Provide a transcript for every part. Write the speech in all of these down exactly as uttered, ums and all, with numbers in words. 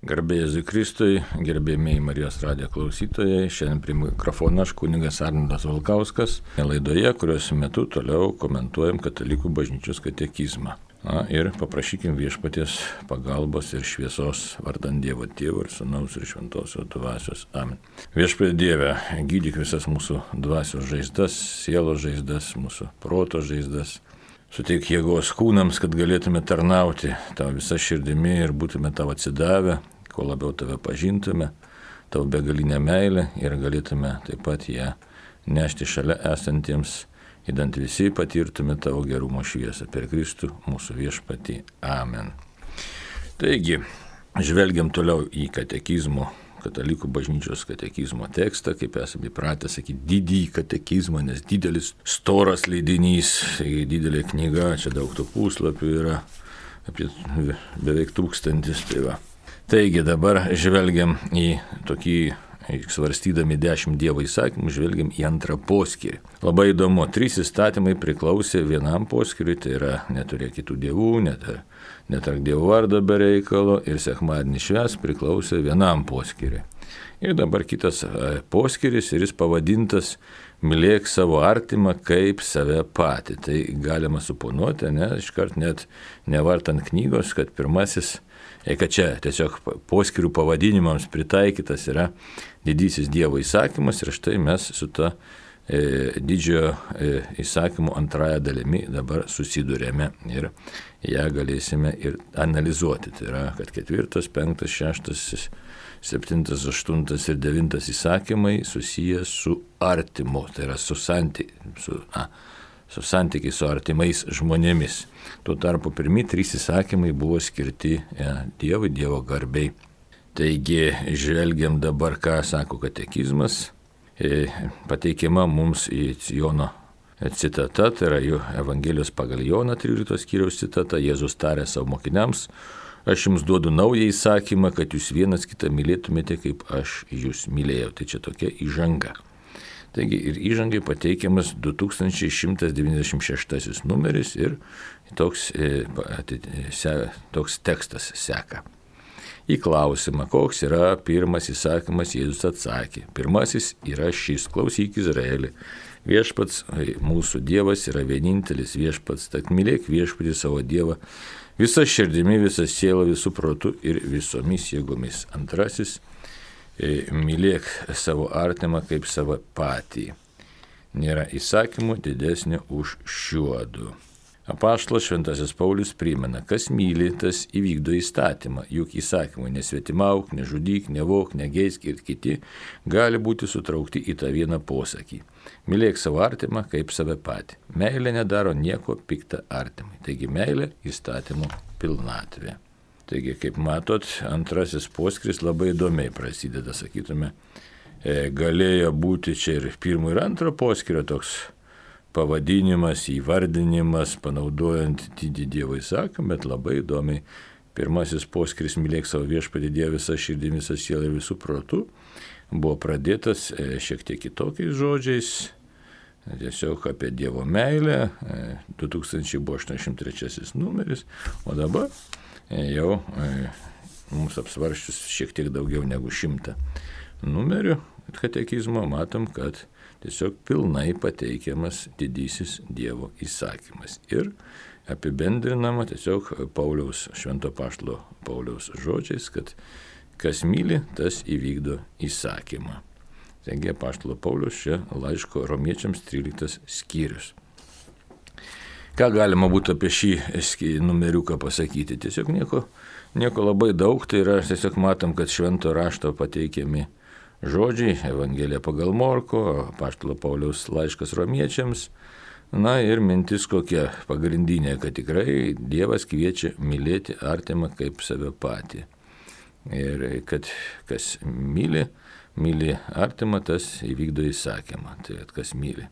Garbė Jėzui Kristui, gerbėmiai Marijos radijo klausytojai, šiandien prie mikrofono aš kunigas Arnoldas Valkauskas, laidoje, kurios metu toliau komentuojam Katalikų bažnyčios katekizmą. Na, ir paprašykim viešpaties pagalbos ir šviesos vardan Dievo Tėvo ir Sūnaus ir Šventosios dvasios. Amen. Viešpatie Dieve, gydyk visas mūsų dvasios žaizdas, sielos žaizdas, mūsų proto žaizdas. Suteik jėgos kūnams, kad galėtume tarnauti tavo visą širdimi ir būtume tavo atsidavę, kuo labiau tave pažintume, tavo begalinę meilę ir galėtume taip pat ją nešti šalia esantiems, idant visi patirtume tavo gerumo šviesą per Kristų mūsų viešpatį. Amen. Taigi, žvelgiam toliau į katekizmo, Katalikų bažnyčios katekizmo tekstą, kaip esame įpratę sakyti, didįjį katekizmą, nes didelis, storas leidinys, didelė knyga, čia daug tų puslapių yra, apie beveik tūkstantis. Tai va. Taigi dabar žvelgiam į tokį, svarstydami dešimt Dievo įsakymų, žvelgiam į antrą poskyrį. Labai įdomu, trys įstatymai priklausė vienam poskyriui, tai yra neturėk kitų dievų, netar, netark Dievo vardo be reikalo ir sekmadienį švęsk priklausė vienam poskyriui. Ir dabar kitas poskyris ir jis pavadintas mylėk savo artimą kaip save patį. Tai galima suponuoti, ne, iškart net nevartant knygos, kad pirmasis, kad čia tiesiog poskyrių pavadinimams pritaikytas yra didysis Dievo įsakymas ir štai mes su ta e, didžiojo e, įsakymo antrąją dalimi dabar susidurėme ir ją galėsime ir analizuoti. Tai yra, kad ketvirtas, penktas, šeštas, septintas, aštuntas ir devintas įsakymai susiję su artimu, tai yra su santykiai, su, a, su santykiai su artimais žmonėmis. Tuo tarpu pirmi trys įsakymai buvo skirti e, Dievui, Dievo garbei. Taigi, žvelgiam dabar, ką sako katekizmas, e, pateikiama mums į Jono citata, tai yra jų Evangelijos pagal Joną tryliktos skyriaus citata, Jėzus tarė savo mokiniams, aš jums duodu naują įsakymą, kad jūs vienas kitą mylėtumėte, kaip aš jūs mylėjau. Tai čia tokia įžanga. Taigi ir įžangai pateikiamas du tūkstančiai šimtas devyniasdešimt šeštasis numeris ir toks, e, se, toks tekstas seka. Į klausimą, koks yra pirmas įsakymas, Jėzus atsakė. Pirmasis yra šis, klausyk Izraeli. Viešpats, mūsų Dievas yra vienintelis viešpats, tad mylėk viešpatį savo Dievą visą širdimi, visą sielą, visų protų ir visomis jėgomis. Antrasis, mylėk savo artimą kaip savo patį. Nėra įsakymų didesnio už šiuodu. Apaštalas Šventasis Paulius primena, kas myli, tas įvykdo įstatymą, juk įsakymai nesvetimauk, nežudyk, nevok, negeisk ir kiti gali būti sutraukti į tą vieną posakį. Mylėk savo artimą kaip save patį. Meilė nedaro nieko pikta artimai. Taigi meilė įstatymo pilnatvė. Taigi, kaip matot, antrasis poskyris labai įdomiai prasideda, sakytume, e, galėjo būti čia ir pirmo ir antro poskyrio toks pavadinimas, įvardinimas, panaudojant didį Dievo įsakymą, bet labai įdomiai pirmasis poskyris mylėk savo viešpatį Dievą visą širdį, visą sielą ir visų protų buvo pradėtas e, šiek tiek kitokiais žodžiais, tiesiog apie Dievo meilę, e, du tūkstančiai aštuoniasdešimt trečiasis numeris, o dabar e, jau e, mums apsvarščius šiek tiek daugiau negu šimtą numerių katekizmo, matom, kad tiesiog pilnai pateikiamas didysis Dievo įsakymas. Ir apibendrinama tiesiog Pauliaus, švento apaštalo Pauliaus žodžiais, kad kas myli, tas įvykdo įsakymą. Taigi apaštalo Pauliaus čia laiško romiečiams tryliktas skyrius. Ką galima būtų apie šį numeriuką pasakyti? Tiesiog nieko, nieko labai daug, tai yra tiesiog matom, kad švento rašto pateikiami žodžiai, Evangelija pagal Morko, apaštalo Pauliaus laiškas romiečiams, na ir mintis kokia pagrindinė, kad tikrai Dievas kviečia mylėti artimą kaip save patį. Ir kad kas myli, myli artimą, tas įvykdo įsakymą, tai kas myli.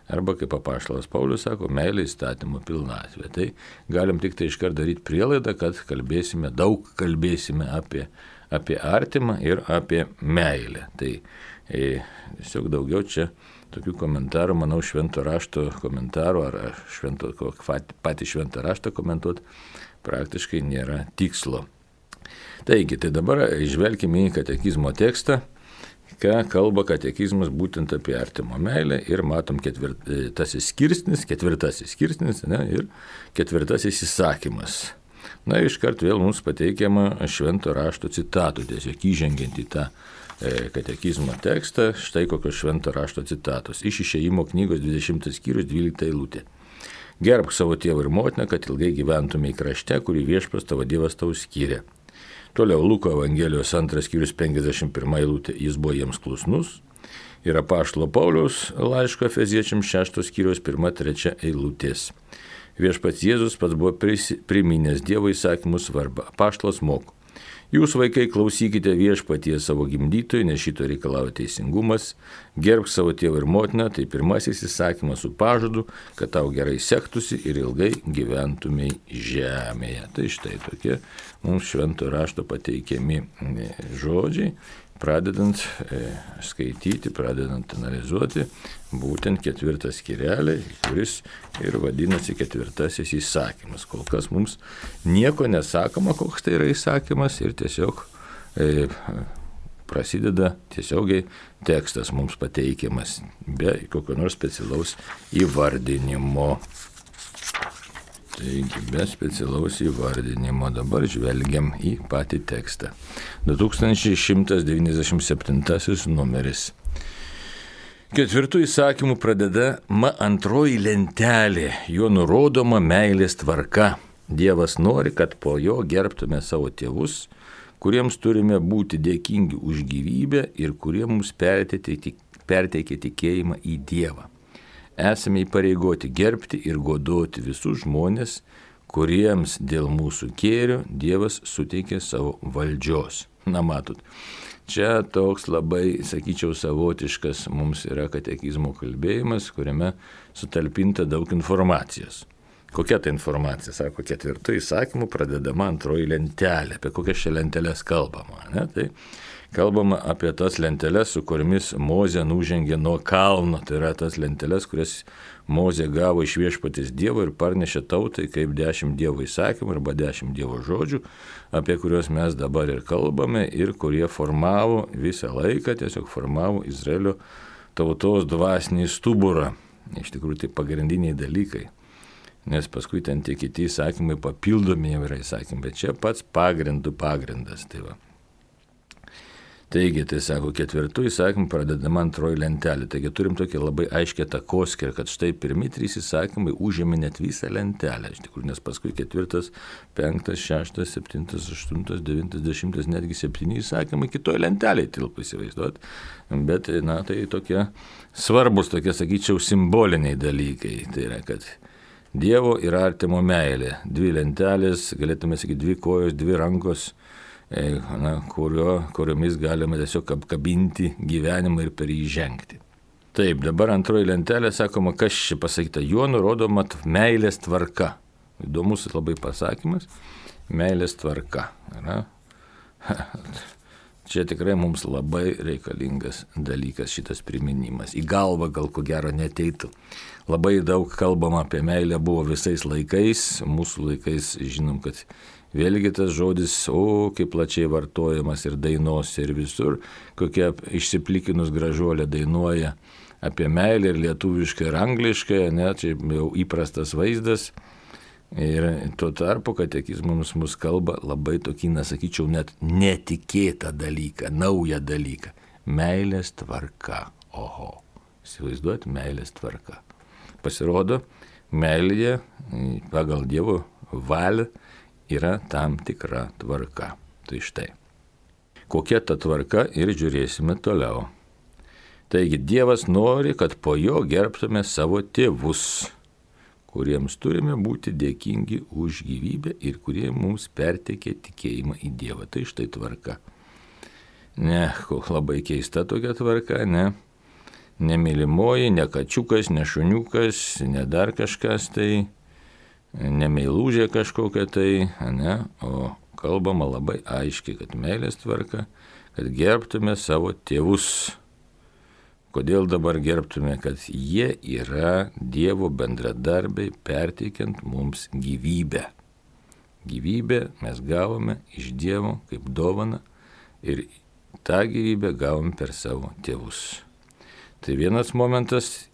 Arba kaip apaštalas Paulius sako, meilė įstatymo pilnatvė. Tai galim tik tai iškart daryti prielaidą, kad kalbėsime, daug kalbėsime apie apie artimą ir apie meilę. Tai e, tiesiog daugiau čia tokių komentarų, manau, švento rašto komentarų ar švento, patį šventą raštą komentuoti praktiškai nėra tikslo. Taigi, tai dabar žvelgime į katekizmo tekstą, ką kalba katekizmas būtent apie artimo meilę ir matom ketvirtasis skirsnis, ketvirtasis skirsnis ne, ir ketvirtasis įsakymas. Na, iškart vėl mums pateikiama švento rašto citatų, tiesiog įžengiant į tą e, katekizmo tekstą, štai kokios švento rašto citatos. Iš Išėjimo knygos dvidešimtas skyrius dvylikta eilutė. Gerbk savo tėvą ir motiną, kad ilgai gyventumei krašte, kurį viešpats tavo Dievas tau skyrė. Toliau Luko Evangelijos antras skyrius penkiasdešimt pirma eilutė. Jis buvo jiems klusnus. Ir apaštalo Pauliaus laiško Efeziečiams šeštos skyrius pirma trečia eilutės. Viešpats Jėzus pats buvo priminęs Dievo įsakymų svarbą. Apaštalas moko. Jūs, vaikai, klausykite viešpatie savo gimdytojų, nes šito reikalauja teisingumas. Gerbk savo tėvą ir motiną, tai pirmasis įsakymas su pažadu, kad tau gerai sektųsi ir ilgai gyventumei žemėje. Tai štai tokie mums švento rašto pateikiami žodžiai, pradedant e, skaityti, pradedant analizuoti būtent ketvirtą skyrelį, kuris ir vadinasi ketvirtasis įsakymas. Kol kas mums nieko nesakoma, koks tai yra įsakymas ir tiesiog e, prasideda tiesiogiai tekstas mums pateikiamas be kokio nors specialaus įvardinimo. Taigi, be specialaus įvardinimo dabar žvelgiam į patį tekstą. du tūkstančiai šimtas devyniasdešimt septintasis numeris. Ketvirtų įsakymų pradedama antroji lentelė, juo nurodoma meilės tvarka. Dievas nori, kad po jo gerbtume savo tėvus, kuriems turime būti dėkingi už gyvybę ir kurie mums perteikia tikėjimą į Dievą. Esame įpareigoti gerbti ir godoti visus žmonės, kuriems dėl mūsų kėrio Dievas suteikė savo valdžios. Na matot, čia toks labai, sakyčiau, savotiškas mums yra katekizmo kalbėjimas, kuriame sutalpinta daug informacijos. Kokia ta informacija? Sako, ketvirtų įsakymų pradedama antroji lentelė. Apie kokias čia lentelės kalbama? Ne? Tai kalbama apie tas lenteles, su kuriamis Mozė nužengė nuo kalno. Tai yra tas lenteles, kurias Mozė gavo iš viešpaties Dievo ir parnešė tautai kaip dešimt Dievo įsakymų arba dešimt Dievo žodžių, apie kuriuos mes dabar ir kalbame ir kurie formavo visą laiką, tiesiog formavo Izraelio tautos dvasinį stuburą. Iš tikrųjų tai pagrindiniai dalykai. Nes paskui ten tie kiti įsakymai papildomi yra įsakymai, bet čia pats pagrindų pagrindas. Tai va. Taigi, tai sako, ketvirtų įsakymų pradedama antroji lentelė. Taigi turim tokį labai aiškę takoskirą, kad štai pirmi trys įsakymai užėmė net visą lentelę. Iš tikrųjų, nes paskui ketvirtas, penktas, šeštas, septintas, aštuntas, devintas, dešimtas, netgi septyni įsakymai kitoje lentelėje tilpo įsivaizduot. Bet, na, tai tokie svarbus, tokie, sakyčiau, simboliniai dalykai. Tai yra, kad Dievo ir artimo meilė. Dvi lentelės, galėtume sakyti, dvi kojos, dvi rankos, na, kurio, kuriomis galima tiesiog apkabinti gyvenimą ir per jį žengti. Taip, dabar antroji lentelė, sakoma, kas čia pasakyta, juo nurodoma meilės tvarka. Įdomus labai pasakymas, meilės tvarka. Na, čia tikrai mums labai reikalingas dalykas šitas priminimas. Į galvą gal ko gero neteitų. Labai daug kalbama apie meilę buvo visais laikais, mūsų laikais žinom, kad vėlgi tas žodis, o kaip plačiai vartojamas ir dainuose ir visur, kokia išsiplikinus gražuolė dainuoja apie meilę ir lietuviškai ir angliškai, ne, čia jau įprastas vaizdas. Ir tuo tarpu katekizmas mus kalba labai tokį, nesakyčiau, net netikėtą dalyką, naują dalyką. Meilės tvarka. Oho, įsivaizduot, meilės tvarka. Pasirodo, meilėje pagal Dievo valią yra tam tikra tvarka. Tai štai. Kokia ta tvarka ir žiūrėsime toliau. Taigi Dievas nori, kad po jo gerbtume savo tėvus, kuriems turime būti dėkingi už gyvybę ir kurie mums perteikė tikėjimą į Dievą. Tai štai tvarka. Ne, labai keista tokia tvarka, ne. Nemylimoji, ne kačiukas, ne šuniukas, ne dar kažkas tai, ne meilužė kažkokia tai, ne, o kalbama labai aiškiai, kad meilės tvarka, kad gerbtume savo tėvus. Kodėl dabar gerbtume, kad jie yra Dievo bendradarbiai perteikiant mums gyvybę. gyvybę mes gavome iš Dievo kaip dovaną ir tą gyvybę gavom per savo tėvus. Tai vienas momentas,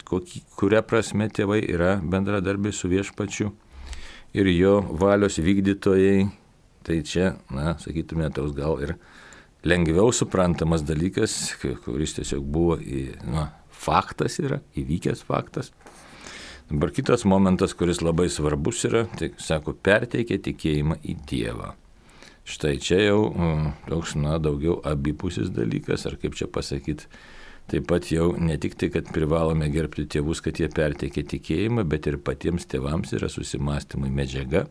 kokį, kuria prasme tėvai yra bendradarbiai su Viešpačiu ir jo valios vykdytojai. Tai čia, na, sakytume, toks gal ir lengviau suprantamas dalykas, kuris tiesiog buvo, na, faktas yra, įvykęs faktas. Dabar kitas momentas, kuris labai svarbus yra, tai sako, perteikia tikėjimą į Dievą. Štai čia jau toks, na, daugiau abipusis dalykas, ar kaip čia pasakyti, taip pat jau ne tik tai, kad privalome gerbti tėvus, kad jie perteikia tikėjimą, bet ir patiems tėvams yra susimastymai medžiaga,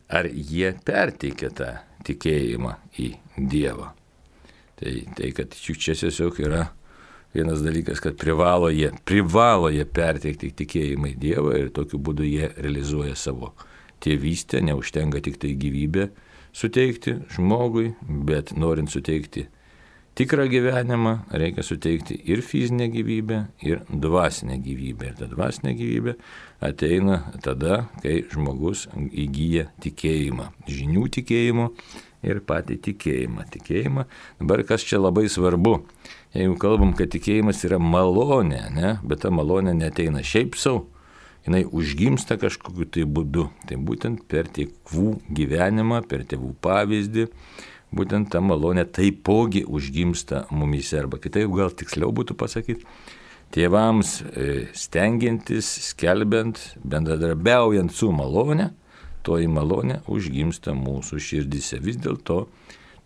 ar jie perteikia tą tikėjimą į Dievą. Tai, tai kad čia tiesiog yra vienas dalykas, kad privalo jie, privalo jie perteikti tikėjimą į Dievą ir tokiu būdu jie realizuoja savo tėvystę, neužtenka tik tai gyvybę suteikti žmogui, bet norint suteikti tikrą gyvenimą, reikia suteikti ir fizinę gyvybę, ir dvasinę gyvybę. Ir ta dvasinė gyvybė ateina tada, kai žmogus įgyja tikėjimą, žinių tikėjimo ir patį tikėjimą. Tikėjimą. Dabar kas čia labai svarbu, jeigu kalbam, kad tikėjimas yra malonė, ne? Bet ta malonė neteina šiaip savo, jinai užgimsta kažkokiu tai būdu. Tai būtent per tėvų gyvenimą, per tėvų pavyzdį, būtent ta malonė taipogi užgimsta mumyse. Arba kitaip gal tiksliau būtų pasakyti, tėvams stengiantis, skelbiant, bendradarbiaujant su malonė, toji malonė užgimsta mūsų širdise. Vis dėlto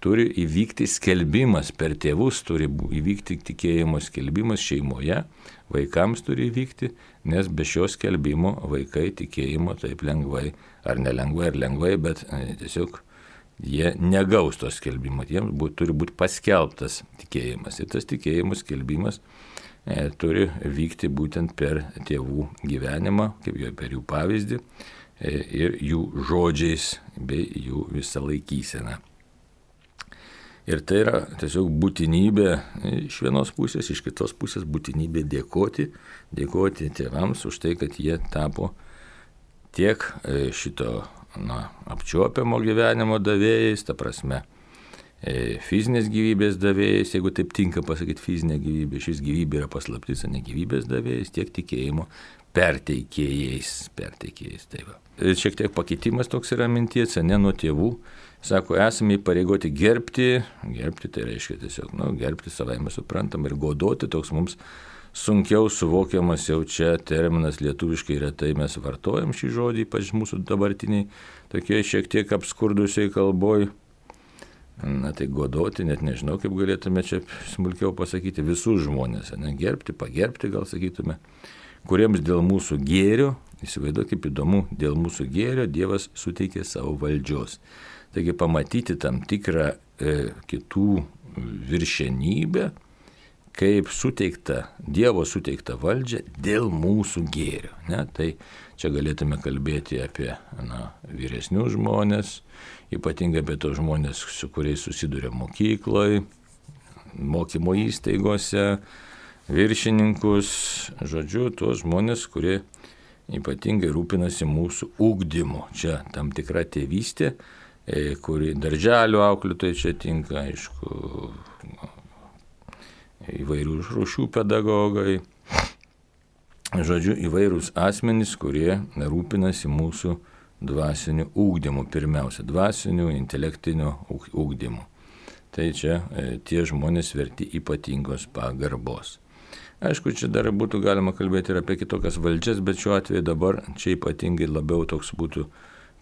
turi įvykti skelbimas per tėvus, turi įvykti tikėjimo skelbimas šeimoje, vaikams turi įvykti, nes be šio skelbimo vaikai tikėjimo taip lengvai, ar nelengvai, ar lengvai, bet tiesiog jie negaus to skelbimo, jiems būt, turi būti paskelbtas tikėjimas. Ir tas tikėjimo skelbimas e, turi vykti būtent per tėvų gyvenimą, kaip jo per jų pavyzdį e, ir jų žodžiais bei jų visą laikyseną. Ir tai yra tiesiog būtinybė iš vienos pusės, iš kitos pusės būtinybė dėkoti, dėkoti tėvams už tai, kad jie tapo tiek šito na, apčiuopiamo gyvenimo davėjais, ta prasme, fizinės gyvybės davėjais, jeigu taip tinka pasakyti fizinė gyvybė, šis gyvybė yra paslaptis, o ne gyvybės davėjais, tiek tikėjimo perteikėjais, perteikėjais. Tai va. Ir šiek tiek pakeitimas toks yra minties, ne nuo tėvų. Sako, esame įpareigoti gerbti, gerbti tai reiškia tiesiog, nu, gerbti savaime suprantam ir godoti, toks mums sunkiau suvokiamas jau čia terminas lietuviškai retai mes vartojam šį žodį, ypač mūsų dabartiniai, tokie šiek tiek apskurdusiai kalboj. Na tai godoti, net nežinau, kaip galėtume čia smulkiau pasakyti, visus žmonės, ne, gerbti, pagerbti gal sakytume, kuriems dėl mūsų gėrio, įsivaizduok kaip įdomu, dėl mūsų gėrio Dievas suteikė savo valdžios. Taigi pamatyti tam tikrą e, kitų viršenybę, kaip suteikta, Dievo suteikta valdžia dėl mūsų gėrio. Ne? Tai čia galėtume kalbėti apie na, vyresnius žmonės, ypatingai apie tos žmonės, su kuriais susiduria mokykloje, mokymo įstaigose, viršininkus, žodžiu, tuos žmonės, kurie ypatingai rūpinasi mūsų ugdymu. Čia tam tikra tėvystė, kuri darželio auklėtojai čia tinka, aišku, įvairių rūšių pedagogai, žodžiu, įvairūs asmenys, kurie rūpinasi mūsų dvasiniu ugdymu, pirmiausia, dvasiniu, intelektiniu ugdymu. Tai čia e, tie žmonės verti ypatingos pagarbos. Aišku, čia dar būtų galima kalbėti ir apie kitokias valdžias, bet šiuo atveju dabar čia ypatingai labiau toks būtų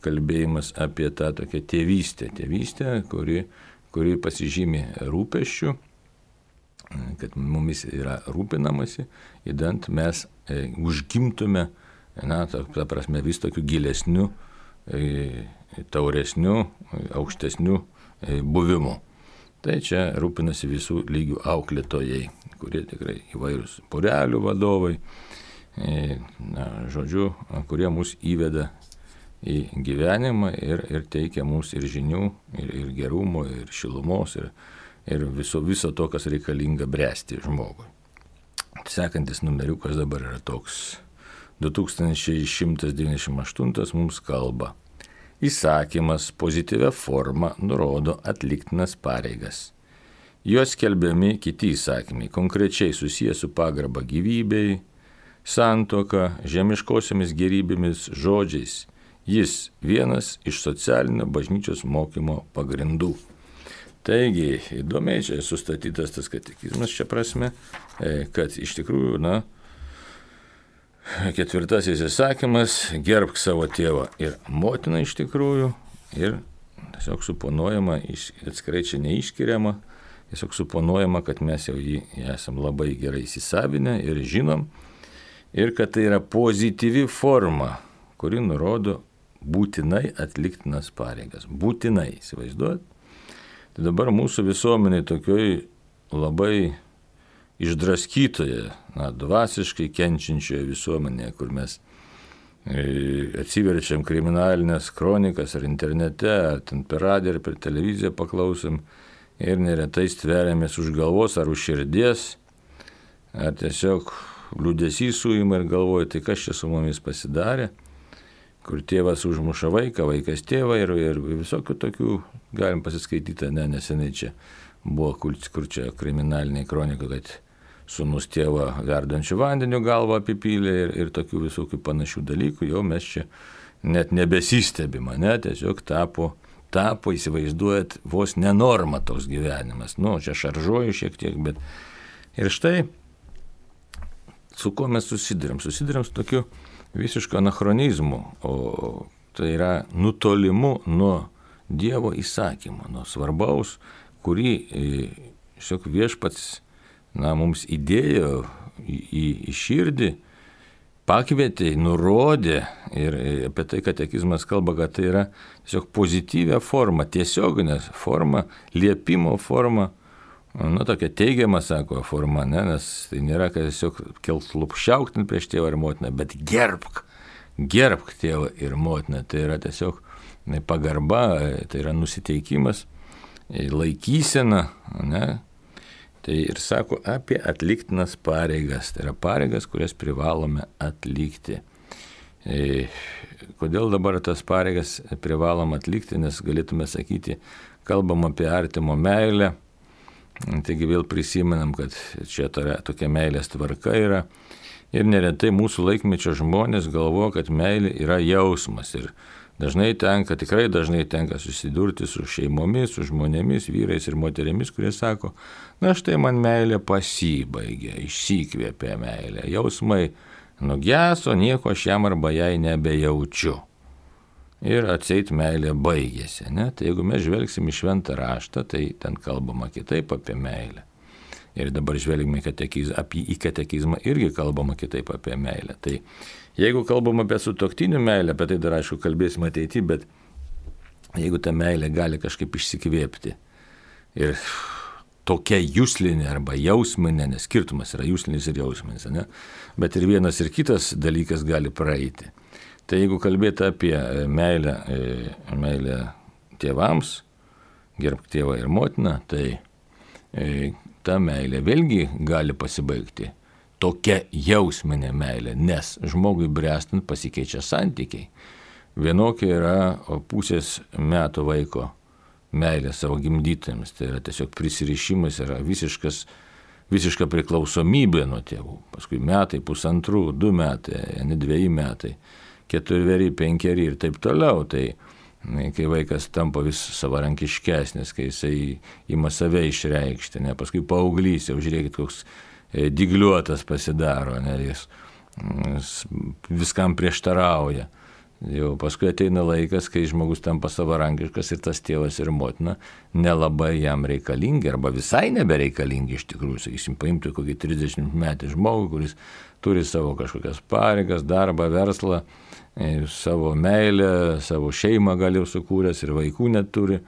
kalbėjimas apie tą tokią tėvystę, tėvystę, kuri, kuri pasižymi rūpesčių, kad mumis yra rūpinamasi, įdant mes e, užgimtume, na, ta, ta prasme, vis tokiu gilesniu, e, tauresniu, aukštesniu e, buvimu. Tai čia rūpinasi visų lygių auklėtojai, kurie tikrai įvairūs porelių vadovai, e, na, žodžiu, kurie mus įveda į gyvenimą ir, ir teikia mums ir žinių, ir, ir gerumo, ir šilumos, ir, ir viso, viso to, kas reikalinga bręsti žmogui. Sekantis numeriukas dabar yra toks. du tūkstančiai šimtas devyniasdešimt aštuntas mums kalba. Įsakymas pozityvia forma nurodo atliktinas pareigas. Juos skelbiami kiti įsakymai, konkrečiai susijęs su pagarba gyvybei, santuoka, žemiškosiomis gerybėmis, žodžiais. Jis vienas iš socialinio bažnyčios mokymo pagrindų. Taigi, įdomiai čia sustatytas tas katekizmas šia prasme, kad iš tikrųjų, na, ketvirtasis įsakymas – gerbk savo tėvą ir motiną iš tikrųjų ir tiesiog suponuojama, atskirai čia neišskiriama, tiesiog suponuojama, kad mes jau jį esam labai gerai įsisavinę ir žinom ir kad tai yra pozityvi forma, kuri nurodo būtinai atliktinas pareigas. Būtinai, įsivaizduot. Tai dabar mūsų visuomeniai tokioj labai išdraskytoje, na, dvasiškai kenčiančioje visuomenėje, kur mes e, atsiverčiam kriminalinės kronikas ar internete, ar ten per radiją, ar per televiziją paklausom ir neretai stveriamės už galvos ar už širdies, ar tiesiog liūdesys suima ir galvoja, tai kas čia su mumis pasidarė, kur tėvas užmuša vaiką, vaikas tėvą ir, ir visokių tokių galim pasiskaityti, ne, neseniai čia buvo, kur, kur čia kriminaliniai kronika, kad sūnus tėvą verdančių vandenių galvą apipylė ir, ir tokių visokių panašių dalykų, jau mes čia net nebesistebima, ne, tiesiog tapo, tapo, įsivaizduojat, vos nenorma toks gyvenimas. Nu, čia šaržuoju šiek tiek, bet ir štai, su kuo mes susidurėm? Susidurėm su tokiu visiško anachronizmu, o tai yra nutolimu nuo Dievo įsakymo, nuo svarbaus, kurį tiesiog viešpats, na, mums įdėjo į, į, į širdį, pakvietė, nurodė ir apie tai katekizmas kalba, kad tai yra tiesiog pozityvia forma, tiesioginė forma, liepimo forma, nu, tokia teigiama, sako, forma, ne, nes tai nėra, kad tiesiog kelt lupšiauktin prieš tėvą ir motiną, bet gerbk, gerbk tėvą ir motiną, tai yra tiesiog pagarba, tai yra nusiteikimas, laikysena, ne, tai ir sako apie atliktinas pareigas, tai yra pareigas, kurias privalome atlikti. E, kodėl dabar tas pareigas privalom atlikti, nes galėtume sakyti, kalbam apie artimo meilę, taigi vėl prisimenam, kad čia tokia meilės tvarka yra ir neretai mūsų laikmečio žmonės galvoja, kad meilė yra jausmas ir dažnai tenka, tikrai dažnai tenka susidurti su šeimomis, su žmonėmis, vyrais ir moterimis, kurie sako, na štai man meilė pasibaigė, išsikvėpė meilė, jausmai nugeso, nieko aš jam arba jai nebejaučiu. Ir atseit meilė baigėsi, ne? Tai jeigu mes žvelgsim į šventą raštą, tai ten kalbama kitaip apie meilę. Ir dabar žvelgime katekiz, apie, į katekizmą irgi kalbama kitaip apie meilę. Tai jeigu kalbam apie sutuoktinių meilę, apie tai dar aišku kalbėsim ateityje, bet jeigu ta meilė gali kažkaip išsikvėpti ir tokia juslinė arba jausminė, nes skirtumas yra juslinis ir jausminis, ne? Bet ir vienas ir kitas dalykas gali praeiti. Tai jeigu kalbėti apie meilę, meilę tėvams, gerbk tėvą ir motiną, tai ta meilė vėlgi gali pasibaigti tokia jausminė meilė, nes žmogui bręstant pasikeičia santykiai. Vienokia yra pusės metų vaiko meilė savo gimdytėms, tai yra tiesiog prisirišimas, yra visiškas, visiška priklausomybė nuo tėvų. Paskui metai, pusantrų, du metai, ne dviejai metai. Keturveri, penkeri ir taip toliau, tai kai vaikas tampa vis savarankiškesnis, kai jisai ima save išreikšti, ne, paskui paauglys, jau žiūrėkit, koks dygliuotas pasidaro, ne, jis viskam prieštarauja. Jau paskui ateina laikas, kai žmogus tampa savarankiškas ir tas tėvas ir motina nelabai jam reikalingi arba visai nebereikalingi iš tikrųjų. Sakysim, paimti kokį trisdešimt metį žmogų, kuris turi savo kažkokias pareigas, darbą, verslą, savo meilę, savo šeimą gal jau sukūręs ir vaikų neturi,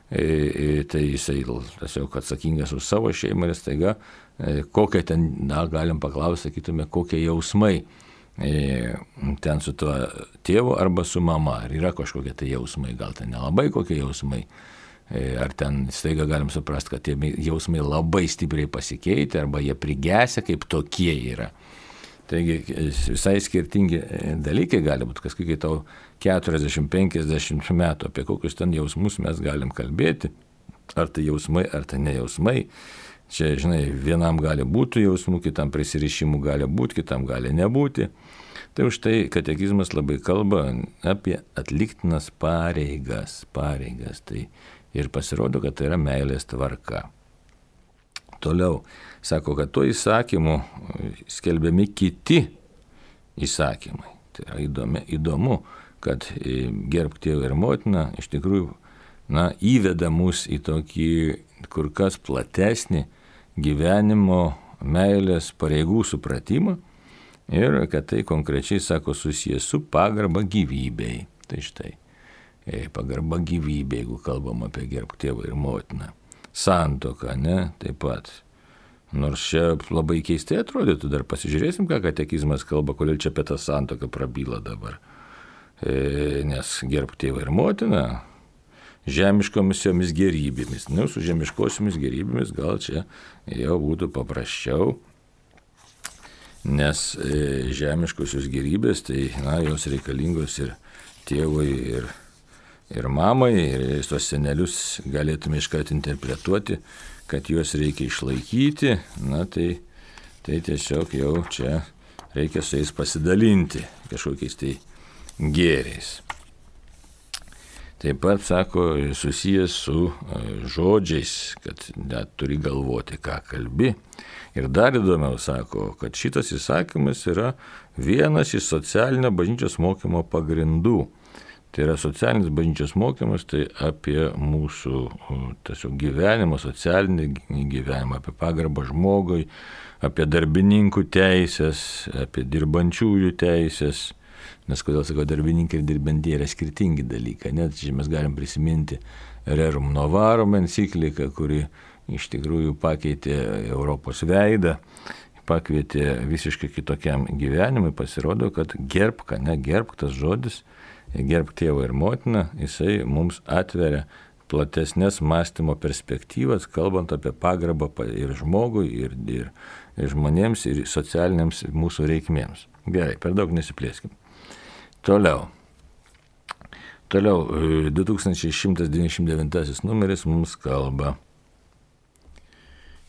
tai jisai tiesiog atsakingas už savo šeimą ir staiga, kokie ten, na, galim paklausti, sakytume, kokie jausmai ten su tuo tėvu arba su mama, ar yra kažkokie tai jausmai, gal ten nelabai kokie jausmai, ar ten staiga galim suprasti, kad tie jausmai labai stipriai pasikeitė arba jie prigesę kaip tokie yra. Taigi visai skirtingi dalykai gali būti, kažkokie tau keturiasdešimt penkiasdešimt metų, apie kokius ten jausmus mes galim kalbėti, ar tai jausmai, ar tai nejausmai. Čia, žinai, vienam gali būti jausmų, kitam prisirišimų gali būti, kitam gali nebūti. Tai už tai katekizmas labai kalba apie atliktinas pareigas, pareigas. Tai ir pasirodo, kad tai yra meilės tvarka. Toliau, sako, kad tuo įsakymu skelbiami kiti įsakymai. Tai yra įdomi, įdomu, kad gerbk tėvą ir motiną iš tikrųjų na, įveda mus į tokį kur kas platesnį gyvenimo meilės pareigų supratimą ir kad tai konkrečiai, sako, susijęs su pagarba gyvybei. Tai štai, pagarba gyvybei, jeigu kalbam apie gerbk tėvą ir motiną. Santuoka, ne, taip pat. Nors čia labai keistai atrodytų, dar pasižiūrėsim, ką katekizmas kalba, kodėl čia apie tą santuoką prabyla dabar. E, nes gerbk tėvą ir motiną žemiškomis jomis gerybėmis. Nu, su žemiškosiomis gerybėmis gal čia jau būtų paprasčiau, nes e, žemiškosios gerybės, tai na, jos reikalingos ir tėvui, ir, ir mamai, ir tos senelius galėtume iškart interpretuoti, kad juos reikia išlaikyti, na tai, tai tiesiog jau čia reikia su jais pasidalinti kažkokiais tai gėriais. Taip pat, sako, susijęs su žodžiais, kad net turi galvoti, ką kalbi. Ir dar įdomiau, sako, kad šitas įsakymas yra vienas iš socialinio bažnyčios mokymo pagrindų. Tai yra socialinis bažnyčios mokymas, tai apie mūsų tiesiog gyvenimą, socialinį gyvenimą, apie pagarbą žmogui, apie darbininkų teisės, apie dirbančiųjų teisės. Nes kodėl, sakau, darbininkai ir dirbantieji yra skirtingi dalykai. Net čia mes galim prisiminti Rerum Novarum encikliką, kuri iš tikrųjų pakeitė Europos veidą, pakvietė visiškai kitokiam gyvenimui. Pasirodo, kad gerbk, ne gerbk tas žodis, gerbk tėvą ir motiną, jisai mums atveria platesnės mąstymo perspektyvas, kalbant apie pagarbą ir žmogui, ir, ir, ir žmonėms, ir socialiniams mūsų reikmėms. Gerai, per daug nesiplėskim. Toliau. Toliau, du tūkstančiai šimtas devyniasdešimt devintasis numeris mums kalba.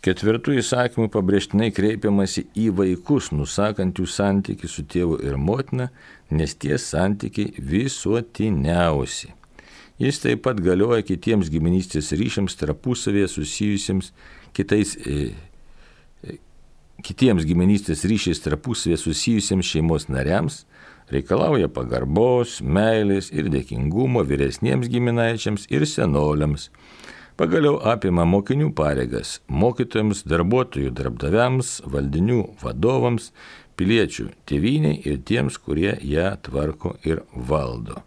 Ketvirtų įsakymų pabrėžtinai kreipiamasi į vaikus, nusakant jų santykį su tėvu ir motina, nes tie santykiai visuotiniausi. Jis taip pat galioja kitiems giminystės ryšiams tarpusavėje susijusiems kitais, e, e, kitiems giminystės ryšiais tarpusavėje susijusiems šeimos nariams, reikalauja pagarbos, meilės ir dėkingumo vyresniems giminaičiams ir senoliams. Pagaliau apima mokinių pareigas mokytojams, darbuotojų darbdaviams, valdinių vadovams, piliečių tėvynei ir tiems, kurie ją tvarko ir valdo.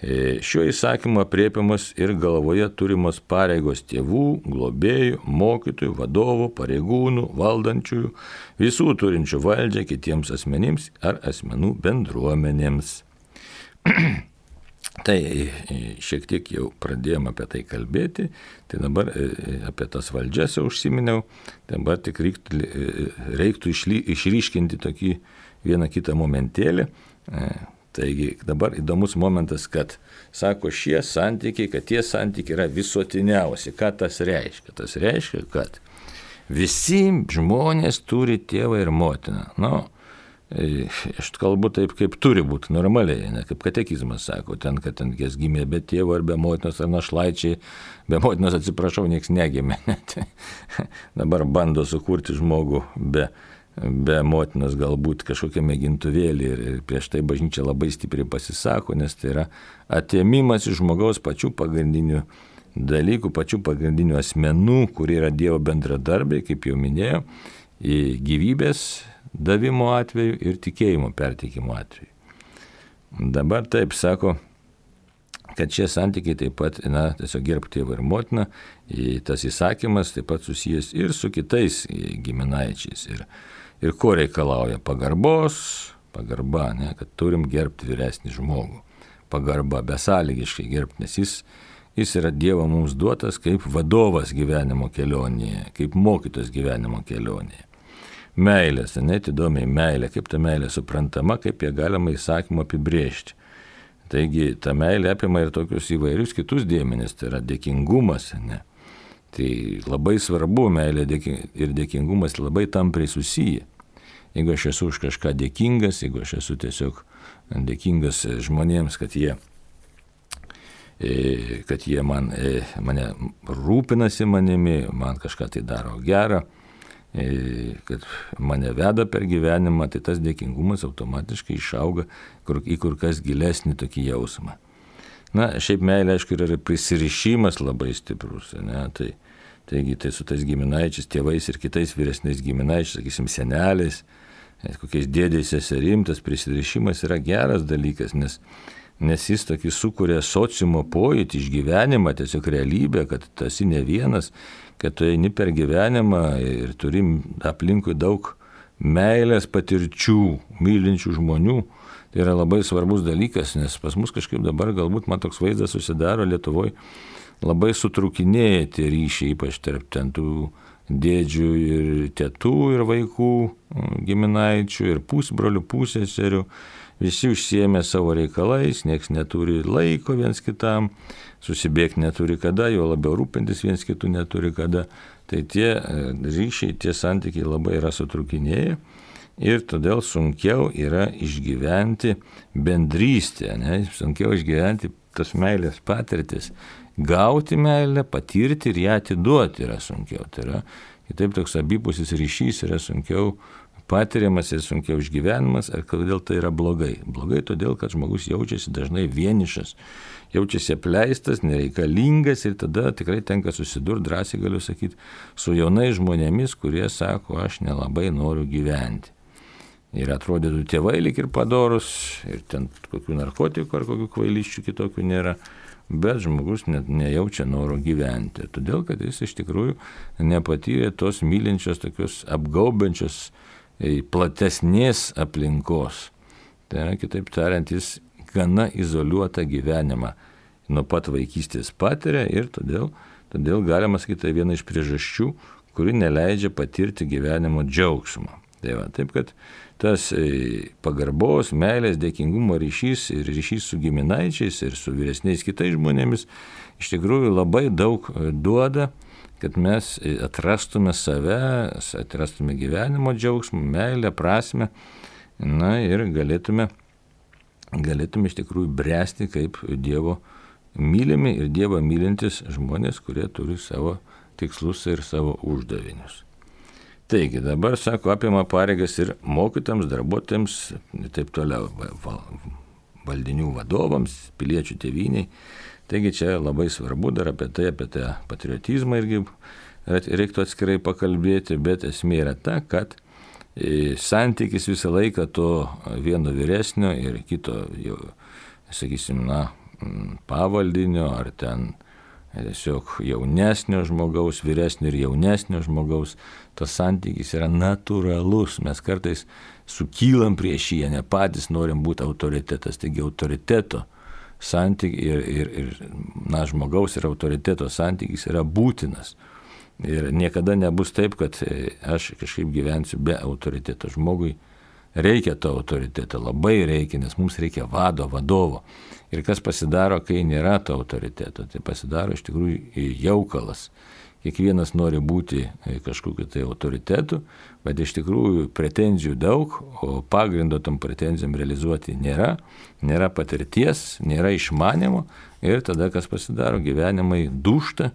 Šiuo įsakymu aprėpiamas ir galvoje turimos pareigos tėvų, globėjų, mokytojų, vadovų, pareigūnų, valdančiųjų, visų turinčių valdžią kitiems asmenims ar asmenų bendruomenėms. Tai šiek tiek jau pradėjome apie tai kalbėti, tai dabar apie tas valdžias jau užsiminiau, dabar tik reiktų, reiktų išryškinti tokį vieną kitą momentėlį. Taigi dabar įdomus momentas, kad sako šie santykiai, kad tie santykiai yra visuotiniausi. Ką tas reiškia? Tas reiškia, kad visi žmonės turi tėvą ir motiną. Nu, aš kalbu taip, kaip turi būti normaliai, ne kaip katekizmas sako, ten, kad ten kas gimė be tėvo ar be motinos, ar našlaičiai, be motinos atsiprašau, nieks negimė. Dabar bando sukurti žmogų be be motinos galbūt kažkokią mėgintuvėlį ir prieš tai bažnyčia labai stipriai pasisako, nes tai yra atėmimas iš žmogaus pačių pagrindinių dalykų, pačių pagrindinių asmenų, kurie yra Dievo bendradarbiai, kaip jau minėjau, į gyvybės davimo atveju ir tikėjimo perteikimo atveju. Dabar taip sako, kad šie santykiai taip pat, na, tiesiog gerbk tėvą ir motiną, tas įsakymas taip pat susijęs ir su kitais giminaičiais. Ir Ir ko reikalauja? Pagarbos, pagarba, ne, kad turim gerbti vyresnį žmogų. Pagarba, besąlygiškai gerbti, nes jis, jis yra Dievo mums duotas kaip vadovas gyvenimo kelionėje, kaip mokytas gyvenimo kelionėje. Meilės, net įdomiai meilė, kaip ta meilė suprantama, kaip ją galima įsakymu apibrėžti. Taigi ta meilė apima ir tokius įvairius kitus dėmenis, tai yra dėkingumas, ne? Tai labai svarbu, meilė ir dėkingumas labai tampriai susiję. Jeigu aš esu už kažką dėkingas, jeigu aš esu tiesiog dėkingas žmonėms, kad jie, kad jie man, mane rūpinasi manimi, man kažką tai daro gerą, kad mane veda per gyvenimą, tai tas dėkingumas automatiškai išauga į kur kas gilesnį tokį jausmą. Na, šiaip meilė, aišku, yra prisirišimas labai stiprus, ne, tai, taigi tai su tais giminaičiais, tėvais ir kitais vyresniais giminaičiais, sakysim, seneliais, kokiais dėdės seserim, tas prisirišimas yra geras dalykas, nes, nes jis tokį sukuria sociumo pojūtį, išgyvenimą, tiesiog realybę, kad tu esi ne vienas, kad tu eini per gyvenimą ir turim aplinkui daug meilės patirčių, mylinčių žmonių. Tai yra labai svarbus dalykas, nes pas mus kažkaip dabar galbūt man toks vaizdas susidaro Lietuvoje, labai sutrūkinėja tie ryšiai, ypač tarp ten tų dėdžių ir tėtų ir vaikų, giminaičių ir pusbrolių, pusseserių. Visi užsiėmė savo reikalais, nieks neturi laiko viens kitam, susibėgti neturi kada, jo labiau rūpintis viens kitų neturi kada. Tai tie ryšiai, tie santykiai labai yra sutrūkinėję ir todėl sunkiau yra išgyventi bendrystę, ne? Sunkiau išgyventi tas meilės patirtis. Gauti meilę, patirti ir ją atiduoti yra sunkiau. Tai yra, kitaip toks abipusis ryšys yra sunkiau patiriamas ir sunkiau išgyvenimas. Ir kodėl tai yra blogai? Blogai todėl, kad žmogus jaučiasi dažnai vienišas, jaučiasi apleistas, nereikalingas ir tada tikrai tenka susidurti, drąsiai galiu sakyti, su jaunais žmonėmis, kurie sako, aš nelabai noriu gyventi. Ir atrodytų tėvai lik ir padorus, ir ten kokių narkotikų ar kokių kvailiščių kitokių nėra, bet žmogus net nejaučia noro gyventi. Todėl, kad jis iš tikrųjų nepatyrė tos mylinčios, tokios apgaubiančios, platesnės aplinkos. Tai yra, kitaip tariant, jis gana izoliuotą gyvenimą nuo pat vaikystės patiria ir todėl, todėl galima sakyti, tai viena iš priežasčių, kuri neleidžia patirti gyvenimo džiaugsmo. Tai va, taip, kad tas pagarbos, meilės, dėkingumo ryšys ir ryšys su giminaičiais ir su vyresniais kitais žmonėmis iš tikrųjų labai daug duoda, kad mes atrastume save, atrastume gyvenimo džiaugsmą, meilę, prasmę, na ir galėtume, galėtume iš tikrųjų bręsti kaip Dievo mylimi ir Dievą mylintis žmonės, kurie turi savo tikslus ir savo uždavinius. Taigi, dabar, sako, apima pareigas ir mokytams, darbuotojams, taip toliau, valdinių vadovams, piliečių tėvyniai. Taigi, čia labai svarbu dar apie tai, apie tą patriotizmą irgi reiktų atskirai pakalbėti, bet esmė yra ta, kad santykis visą laiką to vieno vyresnio ir kito, jau, sakysim, na, pavaldinio ar ten tiesiog jaunesnio žmogaus, vyresnio ir jaunesnio žmogaus, tas santykis yra natūralus. Mes kartais sukylam prieš jį, ne patys norim būti autoritetas, taigi autoriteto santykis ir, ir, ir na, žmogaus ir autoriteto santykis yra būtinas. Ir niekada nebus taip, kad aš kažkaip gyvensiu be autoriteto. Žmogui reikia to autoriteto, labai reikia, nes mums reikia vado, vadovo. Ir kas pasidaro, kai nėra to autoriteto, tai pasidaro iš tikrųjų jaukalas. Kiekvienas nori būti kažkokiu tai autoritetu, bet iš tikrųjų pretenzijų daug, o pagrindo tom pretenzijom realizuoti nėra, nėra patirties, nėra išmanimo ir tada kas pasidaro, gyvenimai dūžta,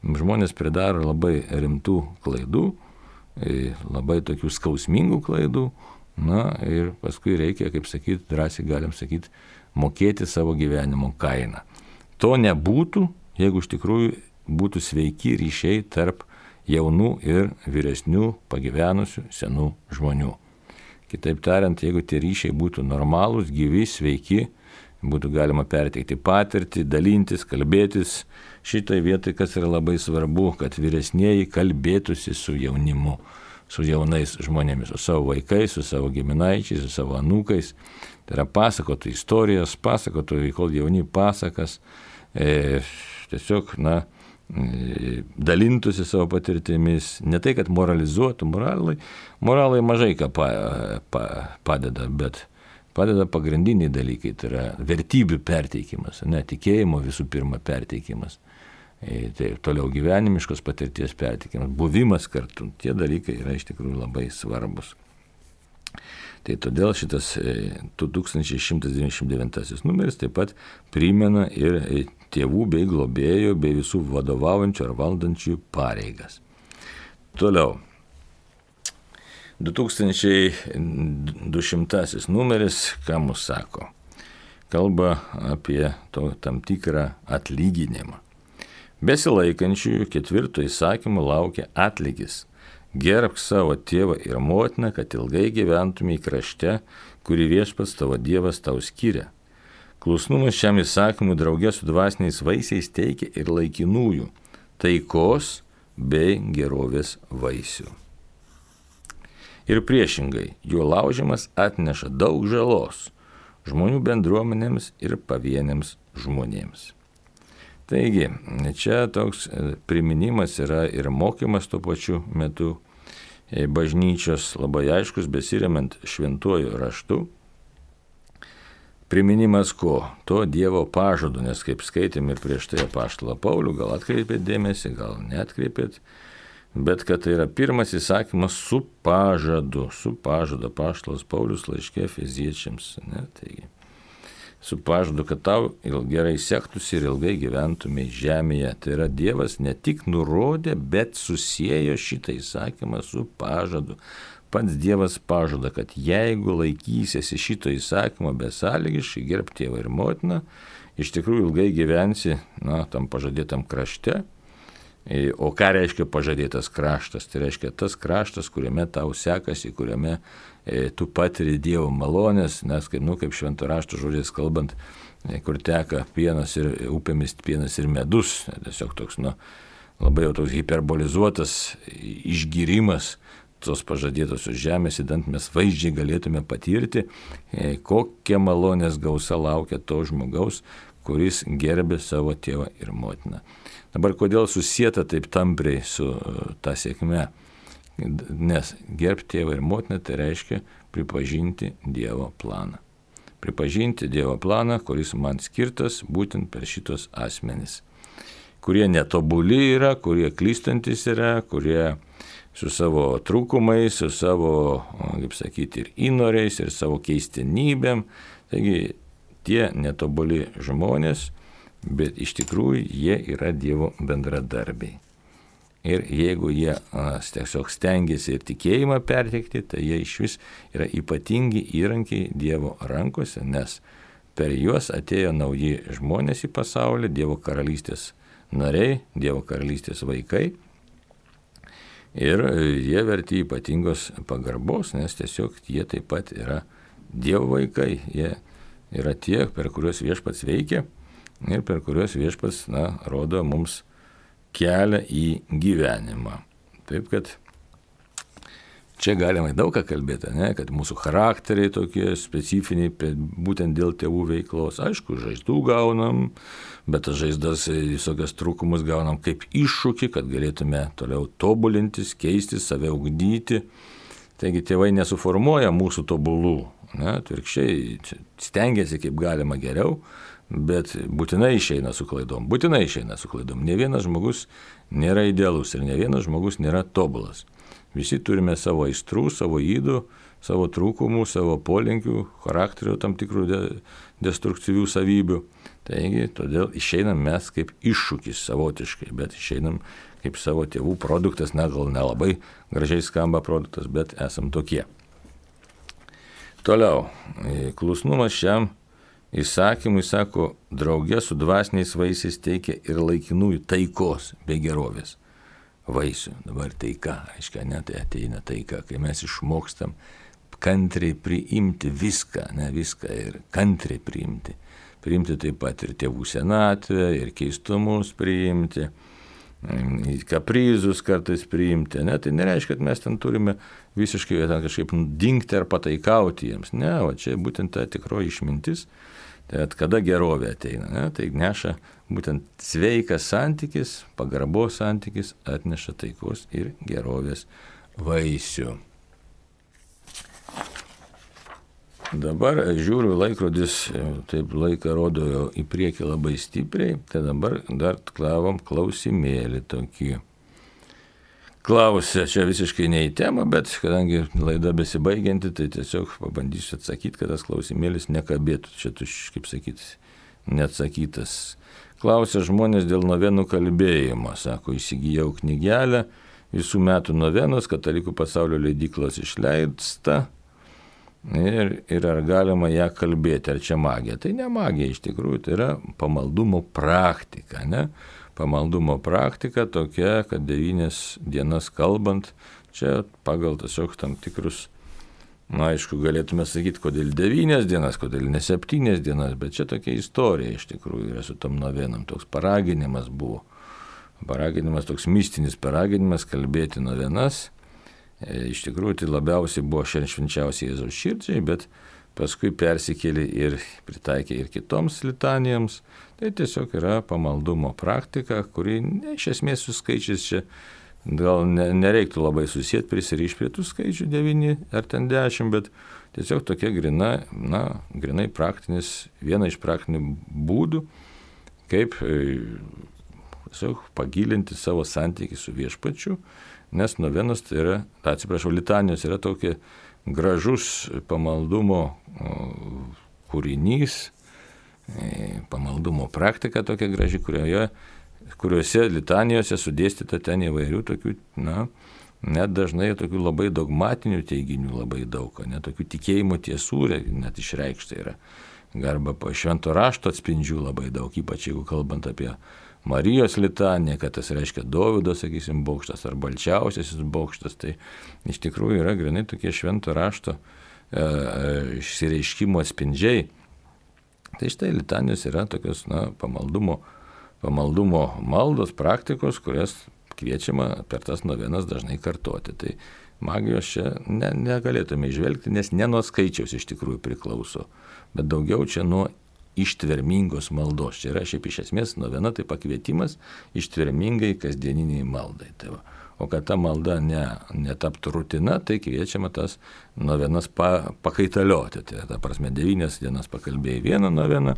žmonės pridaro labai rimtų klaidų, labai tokių skausmingų klaidų, na ir paskui reikia, kaip sakyti, drąsiai galim sakyti, mokėti savo gyvenimo kainą. To nebūtų, jeigu iš tikrųjų būtų sveiki ryšiai tarp jaunų ir vyresnių, pagyvenusių, senų žmonių. Kitaip tariant, jeigu tie ryšiai būtų normalūs, gyvi, sveiki, būtų galima perteikti patirtį, dalintis, kalbėtis. Šitai vietai, kas yra labai svarbu, kad vyresnieji kalbėtųsi su jaunimu, su jaunais žmonėmis, su savo vaikais, su savo giminaičiais, su savo anūkais. Tai yra pasakotų istorijas, pasakotų, kol jauni pasakas, e, tiesiog, na, e, dalintųsi savo patirtimis, ne tai, kad moralizuotų, moralai, moralai mažai ką pa, pa, padeda, bet padeda pagrindiniai dalykai, tai yra vertybių perteikimas, ne, tikėjimo visų pirma perteikimas, tai toliau gyvenimiškos patirties perteikimas, buvimas kartu, tie dalykai yra iš tikrųjų labai svarbus. Tai todėl šitas tūkstantis šimtas devyniasdešimt devintasis numeris taip pat primena ir tėvų bei globėjų bei visų vadovaujančių ar valdančių pareigas. Toliau. du tūkstančiai du šimtasis numeris, ką mus sako? Kalba apie to, tam tikrą atlyginimą. Besilaikančiųjų ketvirto įsakymo laukia atlygis. Gerbk savo tėvą ir motiną, kad ilgai gyventumei krašte, kurį viešpats tavo Dievas tau skiria. Klusnumas šiam įsakymui draugė su dvasiniais vaisiais teikia ir laikinųjų taikos bei gerovės vaisių. Ir priešingai, jo laužimas atneša daug žalos žmonių bendruomenėms ir pavieniams žmonėms. Taigi, čia toks priminimas yra ir mokymas tuo pačiu metu bažnyčios labai aiškus, besiremiant šventuoju raštu. Priminimas ko? To Dievo pažado, nes kaip skaitėm ir prieš tai apaštalą Paulių, gal atkreipėt dėmesį, gal neatkreipėt, bet kad tai yra pirmas įsakymas su pažadu, su pažadu apaštalas Paulius laiške Efeziečiams, ne, taigi. Su pažadu, kad tau gerai sektųsi ir ilgai gyventumei žemėje. Tai yra Dievas ne tik nurodė, bet susiejo šitą įsakymą su pažadu. Pats Dievas pažada, kad jeigu laikysiesi šito įsakymo besąlygiškai, gerb tėvą ir motiną, iš tikrųjų ilgai gyvensi, na, tam pažadėtam krašte. O ką reiškia pažadėtas kraštas? Tai reiškia tas kraštas, kuriame tau sekasi, kuriame e, tu patiri Dievo malonės, nes kaip, nu, kaip švento rašto žodžiais kalbant, e, kur teka pienas ir upėmis pienas ir medus, e, tiesiog toks, nu, labai jau toks hiperbolizuotas išgyrimas tos pažadėtosios žemės, įdant mes vaizdžiai galėtume patirti, e, kokia malonės gausa laukia to žmogaus, kuris gerbė savo tėvą ir motiną. Dabar kodėl susieta taip tampriai su ta sėkme? Nes gerbti tėvą ir motiną tai reiškia pripažinti Dievo planą. Pripažinti Dievo planą, kuris man skirtas būtent per šitos asmenys. Kurie netobuli yra, kurie klystantis yra, kurie su savo trūkumais, su savo, kaip sakyti, ir įnoriais, ir savo keistenybėm. Taigi tie netobuli žmonės, bet iš tikrųjų jie yra Dievo bendradarbiai. Ir jeigu jie a, tiesiog stengiasi ir tikėjimą perteikti, tai jie iš vis yra ypatingi įrankiai Dievo rankose, nes per juos atėjo nauji žmonės į pasaulį, Dievo karalystės nariai, Dievo karalystės vaikai. Ir jie verti ypatingos pagarbos, nes tiesiog jie taip pat yra Dievo vaikai. Jie yra tie, per kuriuos viešpats veikia ir per kuriuos viešpats, na, rodo mums kelią į gyvenimą. Taip kad čia galima daug ką kalbėti, ne? Kad mūsų charakteriai tokie specifiniai, būtent dėl tėvų veiklos. Aišku, žaizdų gaunam, bet tas žaizdas visokias trūkumus gaunam kaip iššūkį, kad galėtume toliau tobulintis, keistis, save ugdyti. Taigi tėvai nesuformuoja mūsų tobulų, ne? Atvirkščiai stengiasi kaip galima geriau, bet būtinai išeina su klaidom, būtinai išeina su klaidom. Ne vienas žmogus nėra idealus ir ne vienas žmogus nėra tobulas. Visi turime savo aistrų, savo ydų, savo trūkumų, savo polinkių, charakterio tam tikrų de, destruktyvių savybių. Taigi, todėl išeinam mes kaip iššūkis savotiškai, bet išeinam kaip savo tėvų produktas, na gal nelabai gražiai skamba produktas, bet esam tokie. Toliau, klusnumas šiam įsakymui, sako, draugė su dvasiniais vaisiais teikia ir laikinųjų taikos bei gerovės vaisių. Dabar taika, aiškiai, ne, tai ateina taika, kai mes išmokstam kantriai priimti viską, ne viską ir kantriai priimti. Priimti taip pat ir tėvų senatvę, ir keistumus priimti, kaprizus kartais priimti. Ne? Tai nereiškia, kad mes ten turime visiškai ten kažkaip dingti ar pataikauti jiems. Ne, o čia būtent ta tikroji išmintis. Tai kada gerovė ateina, ne? Tai neša būtent sveikas santykis, pagarbos santykis atneša taikos ir gerovės vaisių. Dabar žiūriu, laikrodis taip laiką rodo jau į priekį labai stipriai, tai dabar dar klavom klausimėlį tokį. Klausė, čia visiškai ne į temą, bet kadangi laida besibaigianti, tai tiesiog pabandysiu atsakyti, kad tas klausimėlis nekabėtų. Čia tu, kaip sakyti, neatsakytas. Klausė žmonės dėl novenų kalbėjimo. Sako, įsigijau knygelę, visų metų novenos, Katalikų pasaulio leidyklos išleista. Ir, ir ar galima ją kalbėti, ar čia magija? Tai ne magija iš tikrųjų, tai yra pamaldumo praktika, ne? Pamaldumo praktika tokia, kad devynias dienas kalbant, čia pagal tiesiog tam tikrus, na aišku, galėtume sakyti, kodėl devynias dienas, kodėl ne septynias dienas, bet čia tokia istorija iš tikrųjų yra su tom novenam, toks paraginimas buvo. Paraginimas, toks mistinis paraginimas kalbėti novenas. Iš tikrųjų, tai labiausiai buvo švenčiausiai Jėzaus širdžiai, bet paskui persikėlė ir pritaikė ir kitoms litanijoms. Tai tiesiog yra pamaldumo praktika, kuri ne, iš esmės su skaičiais čia gal ne, nereiktų labai susijęti, prisirišti prie tų skaičių devyni ar ten dešimt, bet tiesiog tokia grina, na, grinai praktinis, viena iš praktinių būdų, kaip tiesiog pagilinti savo santykį su viešpačiu. Nes novenos tai yra, atsiprašau, litanijos yra tokia gražus pamaldumo kūrinys, pamaldumo praktika tokia graži, kurioje, kuriuose litanijose sudėstyta ten įvairių tokių, na, net dažnai tokių labai dogmatinių teiginių labai daug, net tokių tikėjimo tiesų net išreikšta yra. Arba švento rašto atspindžių labai daug, ypač jeigu kalbant apie Marijos litanija, kad tas reiškia Dovydo, sakysim, bokštas ar balčiausiasis bokštas, tai iš tikrųjų yra grinai tokie švento rašto e, išsireiškimo atspindžiai. Tai štai litanijos yra tokios, na, pamaldumo, pamaldumo maldos praktikos, kurias kviečiama per tas novenas dažnai kartoti. Tai magijos čia ne, negalėtume išvelgti, nes ne nuo skaičiaus iš tikrųjų priklauso, bet daugiau čia nuo ištvermingos maldos. Čia yra šiaip iš esmės novena, tai pakvietimas ištvermingai kasdieniniai maldai. Tai va. O kad ta malda ne, netaptų rutina, tai kviečiama tas novenas pa, pakaitalioti. Tai ta prasme, devynias dienas pakalbėjai vieną noveną,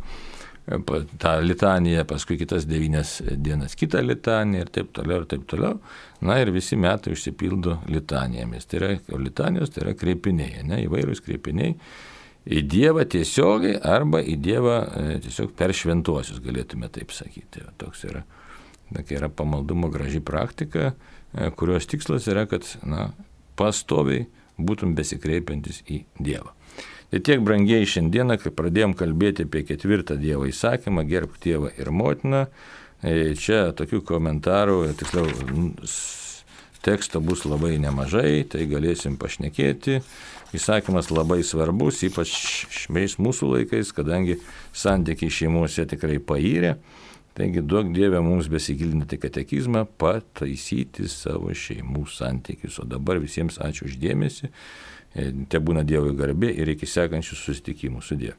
tą litaniją, paskui kitas devynias dienas kitą litaniją ir taip toliau ir taip toliau. Na ir visi metai užsipildo litanijomis. Tai yra, litanijos tai yra kreipiniai, ne, įvairūs kreipiniai. Į Dievą tiesiogiai arba į Dievą e, tiesiog per šventuosius, galėtume taip sakyti. Toks yra, tokia yra pamaldumo graži praktika, e, kurios tikslas yra, kad na, pastoviai būtum besikreipiantis į Dievą. Tai tiek, brangieji, šiandieną, kai pradėjom kalbėti apie ketvirtą Dievo įsakymą, gerbk tėvą ir motiną, e, čia tokių komentarų, tiksliau, teksto bus labai nemažai, tai galėsim pašnekėti. Įsakymas labai svarbus, ypač šiais mūsų laikais, kadangi santykiai šeimose tikrai payrė. Taigi duok Dieve mums besigilinti katekizmą, pataisyti savo šeimų santykius. O dabar visiems ačiū už dėmesį, te būna Dievui garbė ir iki sekančių susitikimų. Sudie.